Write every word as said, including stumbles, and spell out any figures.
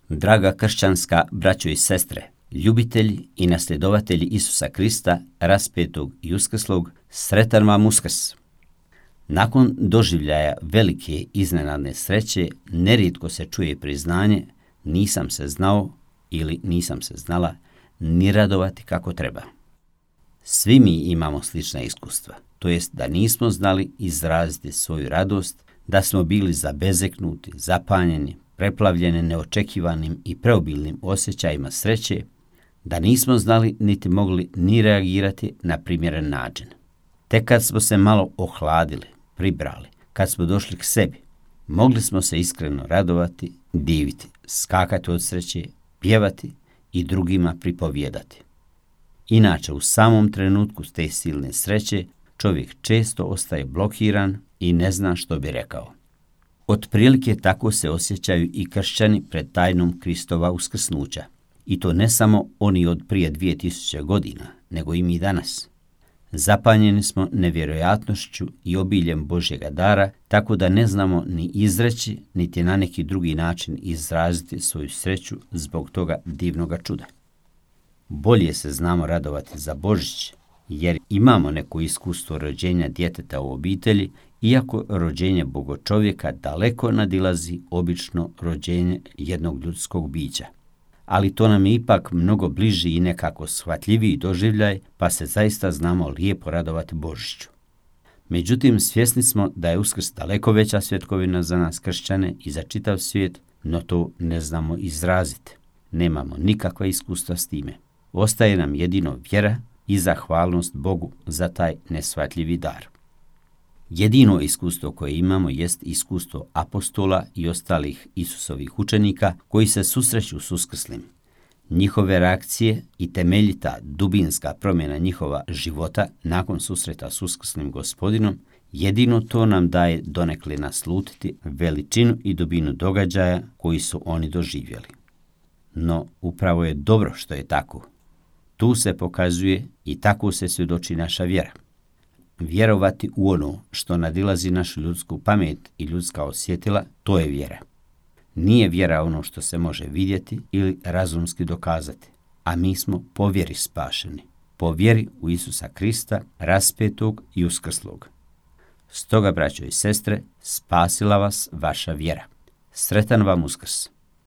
Draga kršćanska braćo i sestre, ljubitelji i nasljedovatelji Isusa Krista, raspetog i uskrslog, sretan vam Uskrs! Nakon doživljaja velike iznenadne sreće, nerijetko se čuje priznanje nisam se znao ili nisam se znala ni radovati kako treba. Svi mi imamo slična iskustva, to jest da nismo znali izraziti svoju radost, da smo bili zabezeknuti, zapanjeni, preplavljeni neočekivanim i preobilnim osjećajima sreće, da nismo znali niti mogli ni reagirati na primjeren način. Tek kad smo se malo ohladili, pribrali, kad smo došli k sebi, mogli smo se iskreno radovati, diviti, skakati od sreće, pjevati i drugima pripovijedati. Inače, u samom trenutku te silne sreće, čovjek često ostaje blokiran i ne zna što bi rekao. Otprilike tako se osjećaju i kršćani pred tajnom Kristova uskrsnuća. I to ne samo oni od prije dvije tisuće godina, nego i mi danas. Zapanjeni smo nevjerojatnošću i obiljem Božjega dara, tako da ne znamo ni izreći, niti na neki drugi način izraziti svoju sreću zbog toga divnoga čuda. Bolje se znamo radovati za Božić, jer imamo neko iskustvo rođenja djeteta u obitelji, iako rođenje Bogočovjeka daleko nadilazi obično rođenje jednog ljudskog bića. Ali to nam je ipak mnogo bliži i nekako shvatljiviji doživljaj, pa se zaista znamo lijepo radovati Božiću. Međutim, svjesni smo da je Uskrs daleko veća svjetkovina za nas kršćane i za čitav svijet, no to ne znamo izraziti. Nemamo nikakva iskustva s time. Ostaje nam jedino vjera i zahvalnost Bogu za taj neshvatljivi dar. Jedino iskustvo koje imamo jest iskustvo apostola i ostalih Isusovih učenika koji se susreću s uskrslim. Njihove reakcije i temeljita dubinska promjena njihova života nakon susreta s uskrslim Gospodinom, jedino to nam daje donekle naslutiti veličinu i dubinu događaja koji su oni doživjeli. No, upravo je dobro što je tako. Tu se pokazuje i tako se svjedoči naša vjera. Vjerovati u ono što nadilazi našu ljudsku pamet i ljudska osjetila, to je vjera. Nije vjera ono što se može vidjeti ili razumski dokazati, a mi smo po vjeri spašeni, po vjeri u Isusa Krista, raspetog i uskrslog. Stoga, braćo i sestre, spasila vas vaša vjera. Sretan vam Uskrs!